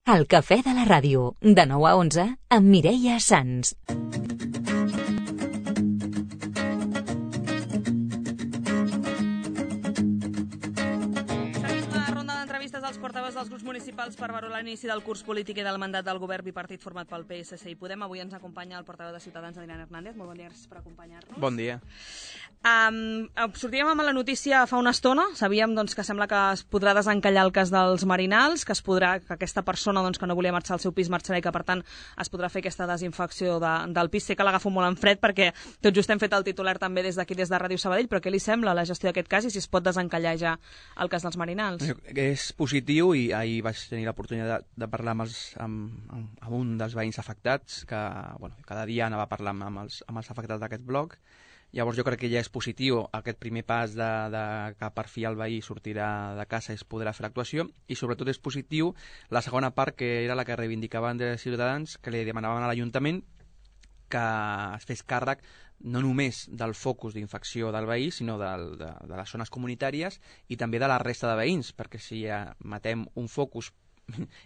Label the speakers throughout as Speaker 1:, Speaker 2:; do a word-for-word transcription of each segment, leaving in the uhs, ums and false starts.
Speaker 1: El cafè de la ràdio, de nou a onze, amb Mireia Sans.
Speaker 2: Els portaveus dels grups municipals per valorar l'inici del curs polític i del mandat del govern bipartit format pel P S C i Podem. Avui ens acompanya el portaveu de Ciutadans, Adrián Hernández. Molt bon dia, gràcies per acompanyar-nos.
Speaker 3: Bon dia.
Speaker 2: Um, sortíem amb la notícia fa una estona. Sabíem doncs, que sembla que es podrà desencallar el cas dels Marinals, que es podrà que aquesta persona doncs, que no volia marxar al seu pis marxarà i que, per tant, es podrà fer aquesta desinfecció de, del pis. Sé que l'agafo molt en fred perquè tot just hem fet el titular també des d'aquí, des de Ràdio Sabadell, però què li sembla la gestió d'aquest cas i si es pot desencallar ja el cas dels Marinals?
Speaker 3: És positiu i ahir vaig tenir l'oportunitat de, de parlar amb, els, amb, amb un dels veïns afectats, que bueno, cada dia anava a parlar amb els, amb els afectats d'aquest bloc. Llavors jo crec que ja és positiu aquest primer pas de, de que per fi el veí sortirà de casa i es podrà fer l'actuació, i sobretot és positiu la segona part, que era la que reivindicaven de Ciutadans, que li demanaven a l'Ajuntament que es fes càrrec no només del focus d'infecció del veí, sinó de, de, de les zones comunitàries i també de la resta de veïns, perquè si ja matem un focus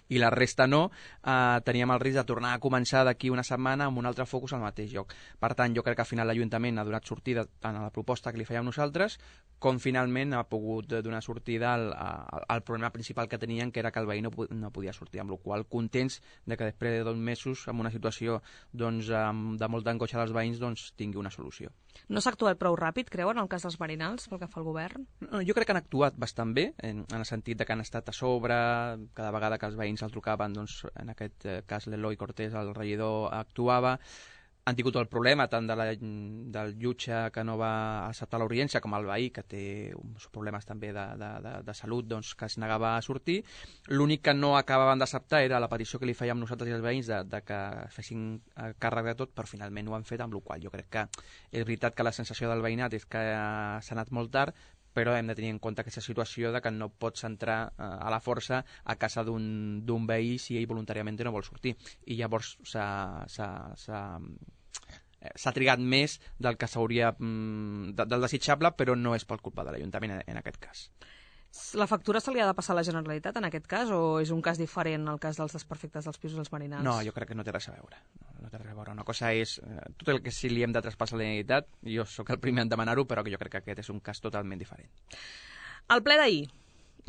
Speaker 3: i la resta no, eh, teníem el risc de tornar a començar d'aquí una setmana amb un altre focus al mateix lloc. Per tant, jo crec que al final l'Ajuntament ha donat sortida tant a la proposta que li fèiem nosaltres, com finalment ha pogut donar sortida al, al, al problema principal que tenien, que era que el veí no, no podia sortir, amb la qual cosa contents de que després de dos mesos, amb una situació doncs, de molta angoixa dels veïns, doncs, tingui una solució.
Speaker 2: No s'ha actuat prou ràpid, creuen, en el cas dels Marinals, pel que fa al govern?
Speaker 3: No, jo crec que han actuat bastant bé, en, en el sentit de que han estat a sobre, cada vegada que els veïns el trucaven, doncs, en aquest cas l'Eloi Cortés, el regidor, actuava. Han tingut el problema tant de la, del jutge que no va acceptar l'audiència com el veí, que té uns problemes també de, de, de, de salut, doncs, que es negava a sortir. L'únic que no acabaven d'acceptar era la petició que li fèiem nosaltres i els veïns de, de que fessin càrrec de tot, però finalment ho han fet, amb la qual jo crec que és veritat que la sensació del veïnat és que s'ha anat molt tard, però hem de tenir en compte aquesta situació de que no pots entrar eh, a la força a casa d'un veí si ell voluntàriament no vol sortir. I llavors s'ha trigat més del que s'hauria mm, de, del desitjable, però no és per culpa de l'Ajuntament en, en aquest cas.
Speaker 2: La factura se li ha de passar a la Generalitat en aquest cas, o és un cas diferent el cas dels desperfectes dels pisos dels Marinals?
Speaker 3: No, jo crec que no té res a veure. No, no té res a veure. Una cosa és eh, tot el que sí li hem de traspassar a la Generalitat, jo sóc el primer en demanar-ho, però que jo crec que aquest és un cas totalment diferent.
Speaker 2: El ple d'ahir.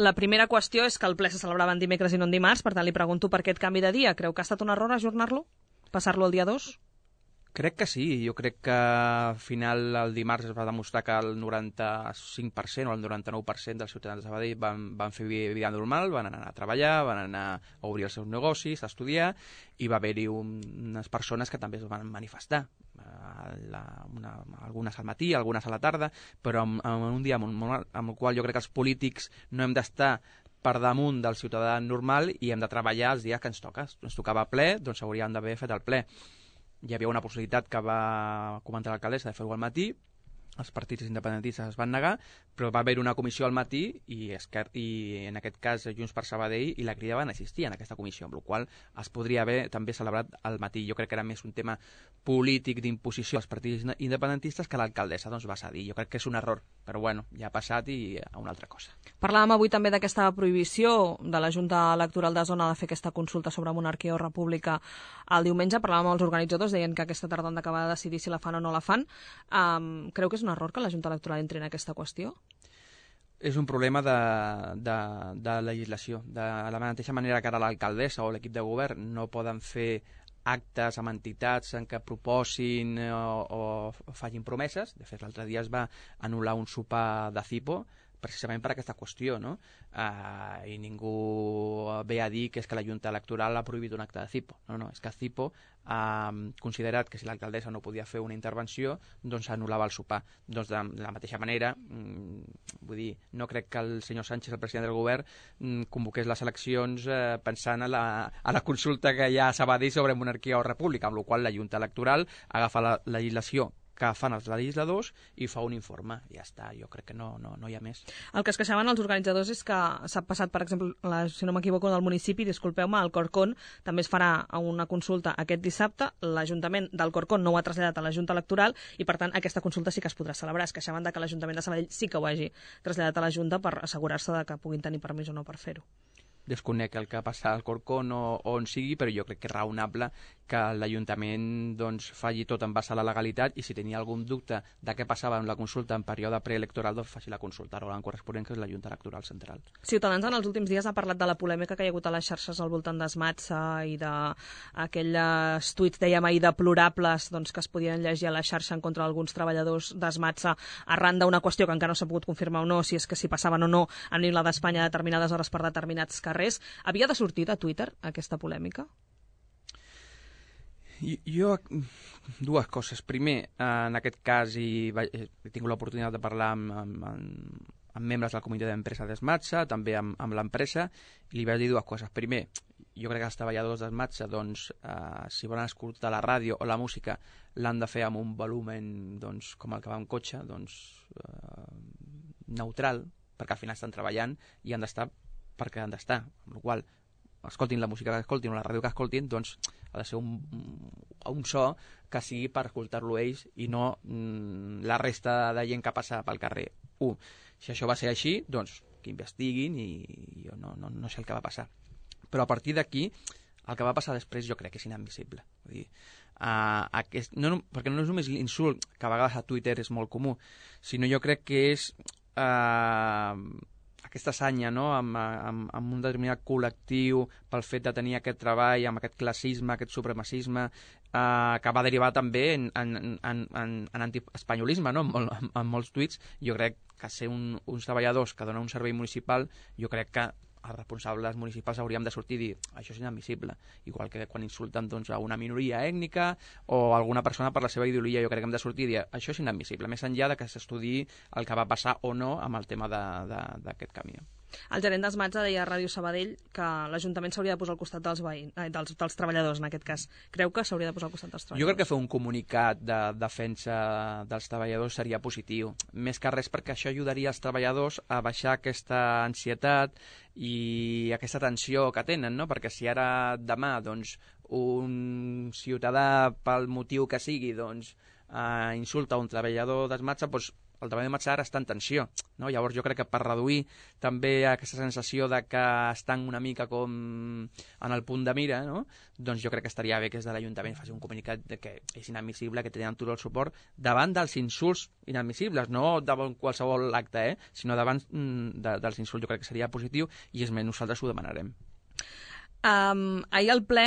Speaker 2: La primera qüestió és que el ple se celebrava en dimecres i no en dimarts, per tant li pregunto per aquest canvi de dia. Creu que ha estat un error ajornar-lo? Passar-lo al dia dos?
Speaker 3: Crec que sí, jo crec que al final el dimarts es va demostrar que el noranta-cinc per cent o el noranta-nou per cent dels ciutadans de Sabadell van, van fer vida normal, van anar a treballar, van anar a obrir els seus negocis, a estudiar, i va haver-hi un, unes persones que també es van manifestar, la, una, algunes al matí, algunes a la tarda, però en, en un dia amb, amb el qual jo crec que els polítics no hem d'estar per damunt del ciutadà normal i hem de treballar els dies que ens toca. Ens tocava ple, doncs hauríem d'haver fet el ple. Hi havia una possibilitat que va comentar l'alcaldessa de fer-ho al matí, els partits independentistes es van negar, però va haver una comissió al matí i, Esquer i en aquest cas Junts per Sabadell i la Crida van assistir en aquesta comissió, amb la qual es podria haver també celebrat al matí. Jo crec que era més un tema polític d'imposició als partits independentistes que l'alcaldessa doncs, va cedir. Jo crec que és un error, però bueno, ja ha passat i a una altra cosa.
Speaker 2: Parlàvem avui també d'aquesta prohibició de la Junta Electoral de Zona de fer aquesta consulta sobre monarquia o república el diumenge. Parlàvem amb els organitzadors, deien que aquesta tarda han d'acabar de decidir si la fan o no la fan. Um, creu que és un error que la Junta Electoral entri en aquesta qüestió?
Speaker 3: És un problema de, de, de legislació. De la mateixa manera que ara l'alcaldessa o l'equip de govern no poden fer actes amb entitats en què proposin o, o facin promeses. De fet, l'altre dia es va anul·lar un sopar de Cipo precisament per aquesta qüestió, no? Uh, I ningú ve a dir que és que la Junta Electoral ha prohibit un acte de Cipo. No, no, és que Cipo ha considerat que si l'alcaldessa no podia fer una intervenció, doncs anul·lava el sopar. Doncs de, de la mateixa manera, mm, vull dir, no crec que el senyor Sánchez, el president del govern, mm, convoqués les eleccions eh, pensant a la, a la consulta que hi ha a Sabadell sobre monarquia o república, amb la qual la Junta Electoral agafa la legislació que fan els legisladors i fa un informe. Ja està, jo crec que no, no, no hi ha més.
Speaker 2: El que es queixaven els organitzadors és que s'ha passat, per exemple, la, si no m'equivoco, del municipi, disculpeu-me, el Corcón també es farà una consulta aquest dissabte. L'Ajuntament del Corcón no ho ha traslladat a la Junta Electoral i, per tant, aquesta consulta sí que es podrà celebrar. Es queixaven de que l'Ajuntament de Sabadell sí que ho hagi traslladat a la Junta per assegurar-se de que puguin tenir permís o no per fer-ho.
Speaker 3: desconec el que passa al Corcón o, o on sigui, però jo crec que és raonable que l'Ajuntament doncs, faci tot en base a la legalitat i si tenia algun dubte de què passava en la consulta en període preelectoral, doncs faci la consulta a l'òrgan corresponent, que és la Junta Electoral Central.
Speaker 2: Ciutadans en els últims dies ha parlat de la polèmica que hi ha hagut a les xarxes al voltant d'Esmatsa i d'aquells tuits, dèiem ahir, deplorables doncs, que es podien llegir a la xarxa en contra d'alguns treballadors d'Esmatsa arran d'una qüestió que encara no s'ha pogut confirmar o no, si és que si passaven o no a l'Illa d'Espanya a determinades hores per determinats carrers. Havia de sortir de Twitter aquesta polèmica?
Speaker 3: Jo, dues coses. Primer, en aquest cas he, he tingut l'oportunitat de parlar amb, amb, amb, amb membres del comitè d'empresa d'Esmatsa, també amb, amb l'empresa, i li vaig dir dues coses. Primer, jo crec que els treballadors d'Esmatsa, doncs, eh, si volen escoltar la ràdio o la música, l'han de fer amb un volumen doncs, com el que va en cotxe, doncs, eh, neutral, perquè al final estan treballant i han d'estar perquè han d'estar, amb la qual escoltin la música que escoltin o la ràdio que escoltin, doncs ha de ser un, un so que sigui per escoltar-lo ells i no mm, la resta de gent que passa pel carrer. Un, si això va ser així, doncs que investiguin i, i jo no, no, no sé el que va passar. Però a partir d'aquí, el que va passar després jo crec que és inadmissible. Vull dir, uh, aquest, no, perquè no és només l'insult, que a vegades a Twitter és molt comú, sinó jo crec que és uh, aquesta sanya, no? amb, amb, amb un determinat col·lectiu pel fet de tenir aquest treball, amb aquest classisme, aquest supremacisme, eh, que va derivar també en, en, en, en, en antiespanyolisme, no? en, en, en molts tuits. Jo crec que ser un, uns treballadors que donen un servei municipal, jo crec que els responsables municipals hauríem de sortir i dir això és inadmissible, igual que quan insulten doncs, a una minoria ètnica o a alguna persona per la seva ideologia. Jo crec que hem de sortir i dir això és inadmissible, més enllà de que s'estudiï el que va passar o no amb el tema d'aquest camió.
Speaker 2: El gerent d'Esmatsa deia a Ràdio Sabadell que l'Ajuntament s'hauria de posar al costat dels, veïns, eh, dels, dels treballadors, en aquest cas. Creu que s'hauria de posar al costat dels treballadors?
Speaker 3: Jo crec que fer un comunicat de defensa dels treballadors seria positiu. Més que res perquè això ajudaria els treballadors a baixar aquesta ansietat i aquesta tensió que tenen, no? Perquè si ara demà doncs, un ciutadà, pel motiu que sigui, doncs, eh, insulta un treballador d'Esmatsa, doncs el treball de Matsa ara està en tensió, no? Llavors jo crec que per reduir també aquesta sensació de que estan una mica com en el punt de mira, no? Doncs jo crec que estaria bé que des de l'Ajuntament faci un comunicat de que és inadmissible, que tenen tot el suport davant dels insults inadmissibles, no davant qualsevol acte, eh? sinó davant de, dels insults. Jo crec que seria positiu i és més, nosaltres ho demanarem.
Speaker 2: Um, ahir al ple,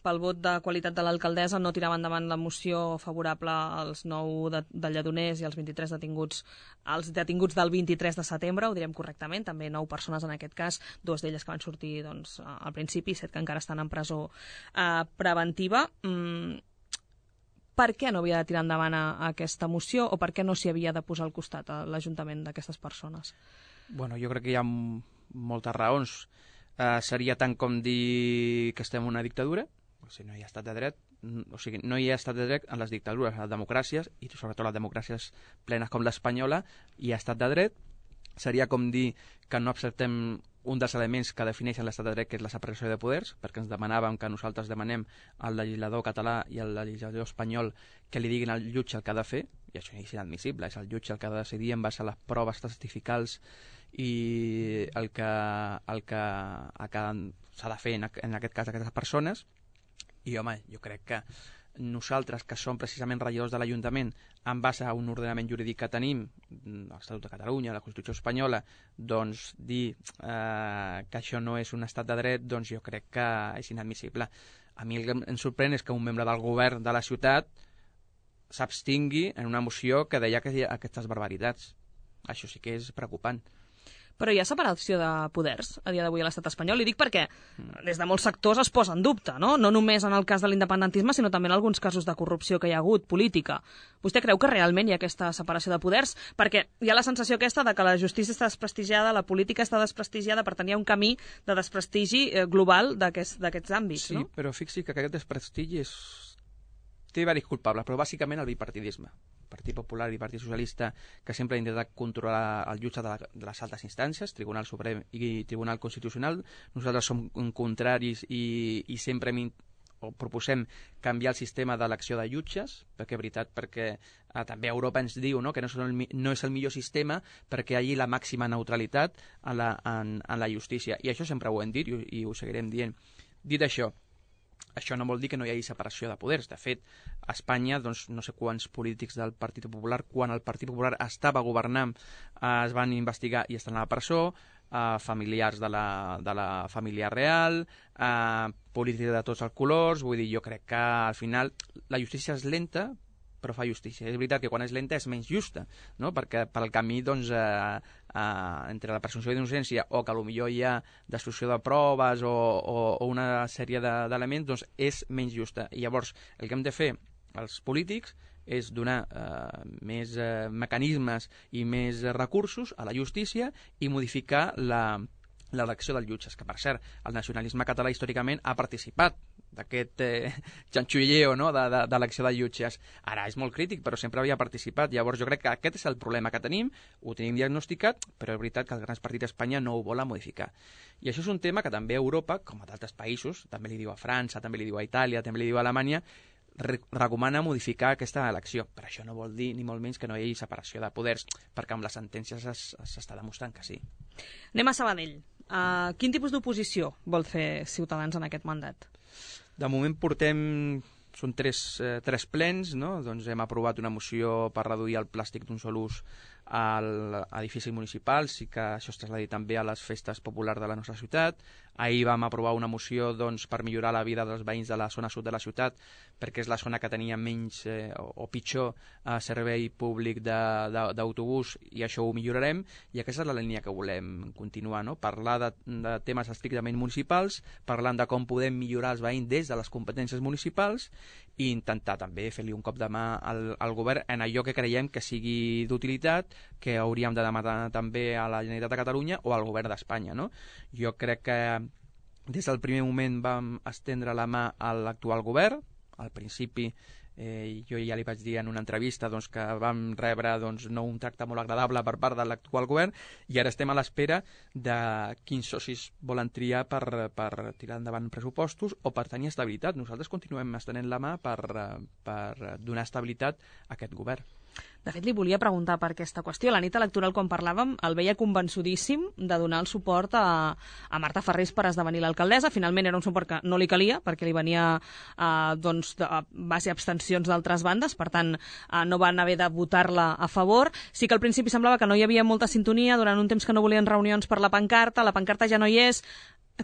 Speaker 2: pel vot de qualitat de l'alcaldessa, no tirava endavant la moció favorable als nou de, de Lledoners i als vint-i-tres detinguts, als detinguts del vint-i-tres de setembre, ho direm correctament, també nou persones en aquest cas, dues d'elles que van sortir doncs, al principi, set que encara estan en presó eh, preventiva. Mm, per què no havia de tirar endavant a, a aquesta moció o per què no s'hi havia de posar al costat a l'Ajuntament d'aquestes persones?
Speaker 3: Bueno, jo crec que hi ha moltes raons. Uh, seria tant com dir que estem en una dictadura, o sigui, no hi ha estat de dret, o sigui, no hi ha estat de dret en les dictadures, en les democràcies, i sobretot les democràcies plenes com l'espanyola, hi ha estat de dret. Seria com dir que no acceptem un dels elements que defineixen l'estat de dret, que és la separació de poders, perquè ens demanàvem que nosaltres demanem al legislador català i al legislador espanyol que li diguin al jutge el que ha de fer, i això és inadmissible, és el jutge el que ha de decidir en base a les proves testificals i el que, el que, el que s'ha de fer en, en aquest cas aquestes persones. I home, jo crec que nosaltres, que som precisament regidors de l'Ajuntament, en base a un ordenament jurídic que tenim, l'Estatut de Catalunya, la Constitució espanyola, doncs dir eh, que això no és un estat de dret, doncs jo crec que és inadmissible. A mi el que em sorprèn és que un membre del govern de la ciutat s'abstingui en una moció que deia que hi ha aquestes barbaritats. Això sí que és preocupant.
Speaker 2: Però hi ha separació de poders a dia d'avui a l'estat espanyol. I dic perquè des de molts sectors es posa en dubte, no? No només en el cas de l'independentisme, sinó també en alguns casos de corrupció que hi ha hagut, política. Vostè creu que realment hi ha aquesta separació de poders? Perquè hi ha la sensació aquesta de que la justícia està desprestigiada, la política està desprestigiada, per tant hi ha un camí de desprestigi global d'aquests àmbits,
Speaker 3: sí,
Speaker 2: no?
Speaker 3: Sí, però fixi que aquest desprestigi és... té diversos culpables, però bàsicament el bipartidisme. Partit Popular i Partit Socialista, que sempre ha intentat controlar el jutge de, la, de les altes instàncies, Tribunal Suprem i Tribunal Constitucional. Nosaltres som contraris i, i sempre hem o proposem canviar el sistema d'elecció de jutges, perquè, veritat, perquè eh, també Europa ens diu, no?, que no és, el, no és el millor sistema perquè hi hagi la màxima neutralitat en la, en, en la justícia. I això sempre ho hem dit i, i ho seguirem dient. Dit això, això no vol dir que no hi hagi separació de poders. De fet, a Espanya, doncs, no sé quants polítics del Partit Popular, quan el Partit Popular estava governant, eh, es van investigar i estan a la presó, eh, familiars de la, de la família real, eh, polítics de tots els colors. Vull dir, jo crec que al final la justícia és lenta, però fa justícia. És veritat que quan és lenta és menys justa, no? Perquè per al camí, doncs, eh, eh, entre la presumpció d'innocència o que potser hi ha destrucció de proves o, o, o una sèrie d'elements, de, doncs és menys justa. I llavors el que hem de fer els polítics és donar eh, més eh, mecanismes i més recursos a la justícia i modificar la l'elecció dels jutges, que per cert, el nacionalisme català històricament ha participat d'aquest eh, xanxulleo, no?, d'elecció de, de jutges. Ara és molt crític, però sempre havia participat. Llavors jo crec que aquest és el problema que tenim, ho tenim diagnosticat, però és veritat que els grans partits d'Espanya no ho volen modificar. I això és un tema que també a Europa, com a d'altres països, també li diu a França, també li diu a Itàlia, també li diu a Alemanya, re recomana modificar aquesta elecció. Però això no vol dir, ni molt menys, que no hi hagi separació de poders, perquè amb les sentències s'està demostrant que sí.
Speaker 2: Anem a Sabadell. Uh, quin tipus d'oposició vol fer Ciutadans en aquest mandat?
Speaker 3: De moment portem, són tres, eh, tres plens, no? Doncs hem aprovat una moció per reduir el plàstic d'un sol ús a edificis municipals i que això es trasladi també a les festes populars de la nostra ciutat. Ahir vam aprovar una moció, doncs, per millorar la vida dels veïns de la zona sud de la ciutat, perquè és la zona que tenia menys eh, o, o pitjor eh, servei públic d'autobús, i això ho millorarem, i aquesta és la línia que volem continuar, no? Parlar de, de temes estrictament municipals, parlant de com podem millorar els veïns des de les competències municipals i intentar també fer-li un cop de mà al, al govern en allò que creiem que sigui d'utilitat, que hauríem de demanar també a la Generalitat de Catalunya o al govern d'Espanya, no? Jo crec que des del primer moment vam estendre la mà a l'actual govern. Al principi eh, jo ja li vaig dir en una entrevista, doncs, que vam rebre, doncs, no un tracte molt agradable per part de l'actual govern, i ara estem a l'espera de quins socis volen triar per, per tirar endavant pressupostos o per tenir estabilitat. Nosaltres continuem estenent la mà per, per donar estabilitat a aquest govern.
Speaker 2: De fet, li volia preguntar per aquesta qüestió. La nit electoral, quan parlàvem, el veia convençudíssim de donar el suport a, a Marta Farrés per esdevenir l'alcaldessa. Finalment era un suport que no li calia, perquè li venia eh, doncs, de base abstencions d'altres bandes, per tant, eh, no van haver de votar-la a favor. Sí que al principi semblava que no hi havia molta sintonia, durant un temps que no volien reunions per la pancarta, la pancarta ja no hi és.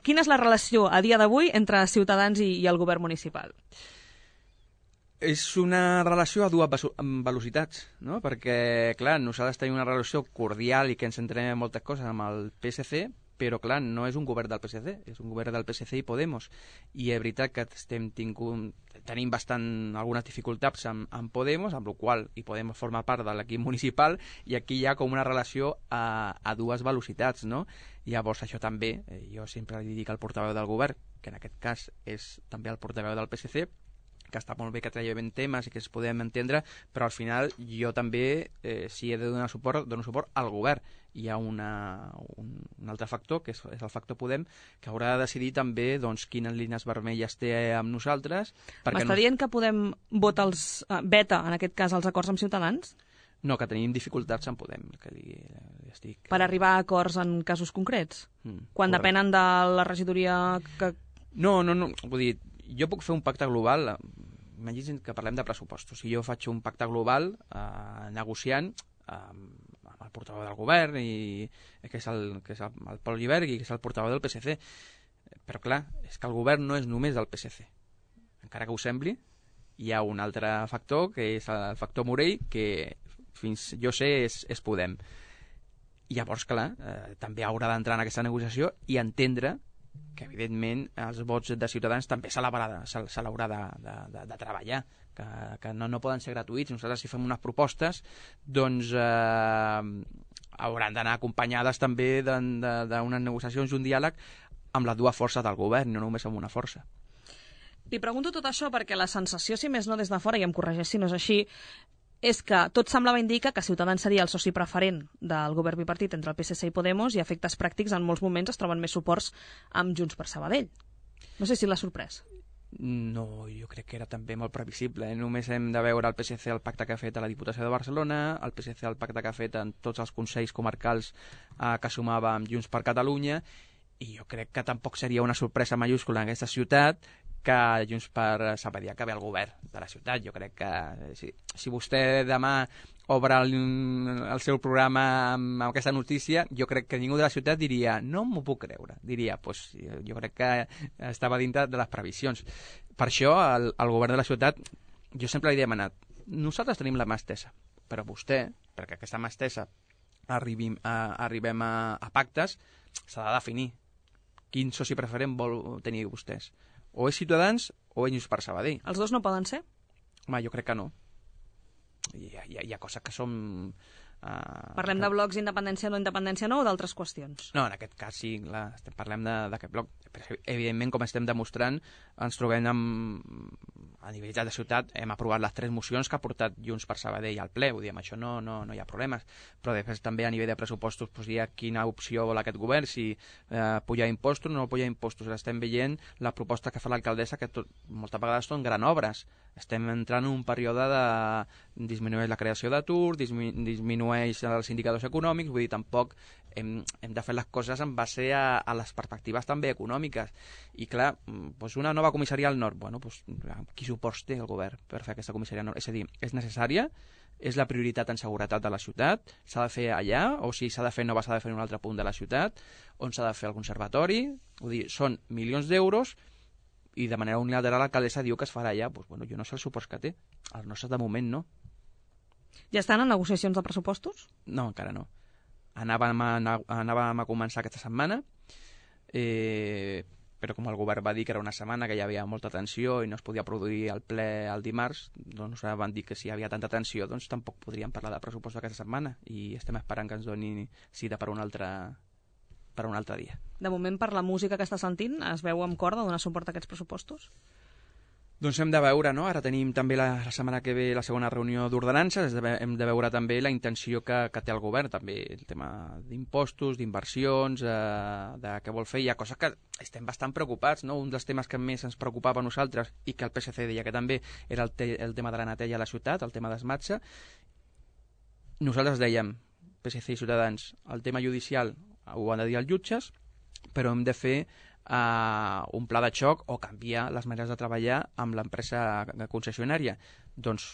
Speaker 2: Quina és la relació a dia d'avui entre Ciutadans i, i el govern municipal?
Speaker 3: És una relació a dues velocitats, no? Perquè, clar, nosaltres tenim una relació cordial i que ens entrenem en moltes coses amb el P S C, però, clar, no és un govern del P S C, és un govern del P S C i Podemos. I és veritat que estem tingut, tenim bastant algunes dificultats amb, amb Podemos, amb la qual i Podemos forma part de l'equip municipal, i aquí hi ha com una relació a, a dues velocitats, no? Llavors, això també, eh, jo sempre li dic al portaveu del govern, que en aquest cas és també el portaveu del P S C, que està molt bé que traiem temes i que es podem entendre, però al final jo també, eh, si he de donar suport, dono suport al govern. Hi ha una, un, un altre factor, que és, és el factor Podem, que haurà de decidir també, doncs, quines línies vermelles té amb nosaltres.
Speaker 2: M'està no... dient que Podem vota els, uh, veta, en aquest cas, els acords amb Ciutadans?
Speaker 3: No, que tenim dificultats en Podem. Que li, li estic...
Speaker 2: Per arribar a acords en casos concrets? Mm, quan correcte. Depenen de la regidoria que...
Speaker 3: No, no, no, vull dir, jo puc fer un pacte global, imagina't que parlem de pressupostos, si jo faig un pacte global eh, negociant eh, amb el portaveu del govern, i, que és, el, que és el, el Pol Lliberg, i que és el portaveu del P S C, però clar, és que el govern no és només del P S C, encara que ho sembli, hi ha un altre factor, que és el factor Morell, que fins jo sé és, és Podem. I llavors, clar, eh, també haurà d'entrar en aquesta negociació i entendre que evidentment els vots de Ciutadans també se l'haurà de, se, se l'haurà de, de, de, de treballar, que, que no, no poden ser gratuïts. Nosaltres, si fem unes propostes, doncs eh, hauran d'anar acompanyades també d'unes negociacions, un diàleg amb les dues forces del govern, no només amb una força.
Speaker 2: Li pregunto tot això perquè la sensació, si més no des de fora, i em corregeix si no és així, és que tot semblava indicar que Ciutadans seria el soci preferent del govern bipartit entre el P S C i Podemos, i a efectes pràctics en molts moments es troben més suports amb Junts per Sabadell. No sé si l'ha sorprès.
Speaker 3: No, jo crec que era també molt previsible. Només hem de veure el P S C el pacte que ha fet a la Diputació de Barcelona, el P S C el pacte que ha fet en tots els consells comarcals eh, que sumava amb Junts per Catalunya, i jo crec que tampoc seria una sorpresa mayúscula en aquesta ciutat que Junts per Sabadell acabi al govern de la ciutat. Jo crec que si, si vostè demà obre el, el seu programa amb, amb aquesta notícia, jo crec que ningú de la ciutat diria no m'ho puc creure, diria pues, jo crec que estava dintre de les previsions. Per això el, el govern de la ciutat, jo sempre li he demanat, nosaltres tenim la mà estesa, però vostè, perquè aquesta mà estesa arribim a, arribem a, a pactes, s'ha de definir quin soci preferent vol tenir vostès. O és Ciutadans o és Junts per Sabadell.
Speaker 2: Els dos no poden ser?
Speaker 3: Home, jo crec que no. Hi ha, hi ha, hi ha coses que són... Uh,
Speaker 2: Parlem
Speaker 3: que...
Speaker 2: de blocs independència no independència no o d'altres qüestions?
Speaker 3: No, en aquest cas sí, clar, estem, parlem d'aquest bloc. Però, evidentment, com estem demostrant, ens trobem amb, a nivell de ciutat, hem aprovat les tres mocions que ha portat Junts per Sabadell al ple, vull dir, amb això no, no, no hi ha problemes, però després també a nivell de pressupostos pues, hi ha quina opció vol aquest govern, si eh, pujar impostos o no pujar impostos. Estem veient la proposta que fa l'alcaldessa, que tot, moltes vegades són gran obres. Estem entrant en un període de disminueix la creació d'atur, dismi, disminueix els indicadors econòmics, vull dir, tampoc hem, hem de fer les coses en base a, a les perspectives també econòmiques. I clar, doncs una nova comissaria al nord, bueno, doncs, qui suports té el govern per fer aquesta comissaria al nord? És a dir, és necessària? És la prioritat en seguretat de la ciutat? S'ha de fer allà? O si s'ha de fer nova s'ha de fer en un altre punt de la ciutat? On s'ha de fer el conservatori? Vull dir, són milions d'euros i de manera unilateral l'alcaldessa diu que es farà allà. Doncs, bueno, jo no sé els suports que té. Els nostres de moment no.
Speaker 2: Ja estan en negociacions de pressupostos?
Speaker 3: No, encara no. Anàvem a, anàvem a començar aquesta setmana, eh, però com el govern va dir que era una setmana que hi havia molta tensió i no es podia produir el ple el dimarts, doncs van dir que si hi havia tanta tensió doncs tampoc podríem parlar de pressupost aquesta setmana i estem esperant que ens doni cita per un altre, per un altre dia.
Speaker 2: De moment, per la música que està sentint, es veu amb cor de donar suport a aquests pressupostos?
Speaker 3: Doncs hem de veure, no? Ara tenim també la, la setmana que ve la segona reunió d'ordenances, hem de veure també la intenció que, que té el govern, també el tema d'impostos, d'inversions, eh, de què vol fer. Hi ha coses que estem bastant preocupats, no? Un dels temes que més ens preocupava a nosaltres i que el P S C deia que també era el, te, el tema de la neteja a la ciutat, el tema d'esmatxa. Nosaltres dèiem, P S C i Ciutadans, el tema judicial ho han de dir els jutges, però hem de fer Uh, un pla de xoc o canviar les maneres de treballar amb l'empresa concessionària. Doncs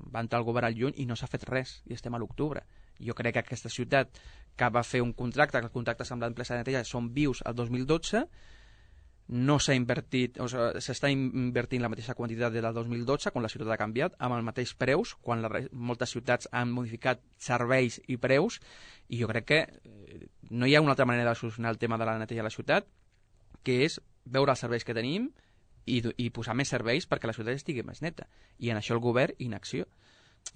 Speaker 3: va entrar el govern al juny i no s'ha fet res i estem a l'octubre. Jo crec que aquesta ciutat que va fer un contracte, que els contractes amb l'empresa de neteja són vius al dos mil dotze, no s'ha invertit, o sigui, s'està invertint la mateixa quantitat del dos mil dotze quan la ciutat ha canviat, amb els mateixos preus, quan la, moltes ciutats han modificat serveis i preus, i jo crec que no hi ha una altra manera de solucionar el tema de la neteja a la ciutat que és veure els serveis que tenim i, i posar més serveis perquè la ciutat estigui més neta. I en això el govern, inacció.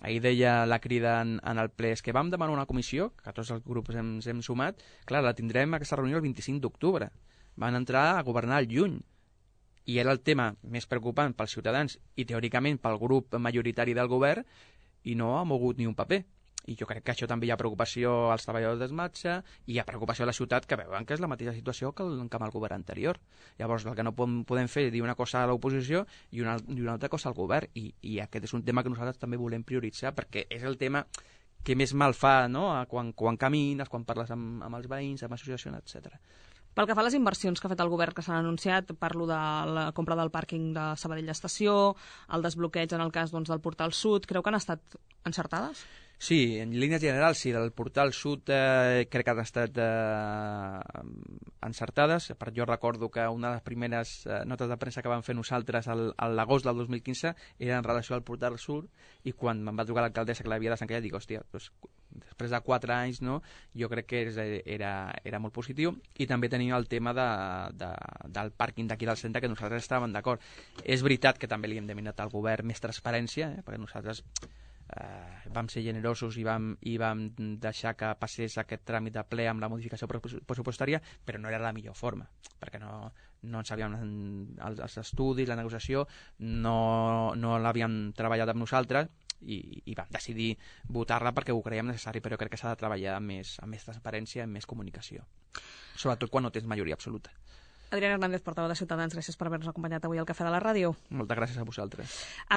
Speaker 3: Ahir deia la crida en, en el ple, és que vam demanar una comissió, que tots els grups ens hem sumat, clar, la tindrem aquesta reunió el vint-i-cinc d'octubre. Van entrar a governar el juny. I era el tema més preocupant pels ciutadans i teòricament pel grup majoritari del govern i no ha mogut ni un paper. I jo crec que això també hi ha preocupació als treballadors d'esmatxa i hi ha preocupació a la ciutat que veuen que és la mateixa situació que, el, que amb el govern anterior. Llavors el que no podem, podem fer és dir una cosa a l'oposició i una, i una altra cosa al govern i, i aquest és un tema que nosaltres també volem prioritzar perquè és el tema que més mal fa, no? quan, quan camines, quan parles amb, amb els veïns, amb associacions, etcètera.
Speaker 2: Pel que fa a les inversions que ha fet el govern que s'han anunciat, parlo de la compra del pàrquing de Sabadell Estació, el desbloqueig en el cas doncs, del Portal Sud, creu que han estat encertades?
Speaker 3: Sí, en línies generals, sí, del Portal Sud eh, crec que han estat eh, encertades. Per jo recordo que una de les primeres eh, notes de premsa que vam fer nosaltres al, a l'agost del dos mil quinze era en relació al Portal Sud i quan em va trucar l'alcaldessa que l'havia desencallat dic, hòstia, doncs, després de quatre anys no, jo crec que és, era, era molt positiu i també tenim el tema de, de, del pàrquing d'aquí del centre que nosaltres estàvem d'acord. És veritat que també li hem demanat al govern més transparència, eh, perquè nosaltres Uh, vam ser generosos i vam, i vam deixar que passés aquest tràmit de ple amb la modificació pressupostària, però no era la millor forma, perquè no, no en sabíem els, els estudis, la negociació, no, no l'havíem treballat amb nosaltres i, i vam decidir votar-la perquè ho creiem necessari, però crec que s'ha de treballar amb més, amb més transparència, amb més comunicació, sobretot quan no tens majoria absoluta.
Speaker 2: Adrián Hernández, portaveu de Ciutadans, gràcies per haver-nos acompanyat avui al Cafè de la Ràdio.
Speaker 3: Moltes gràcies a vosaltres.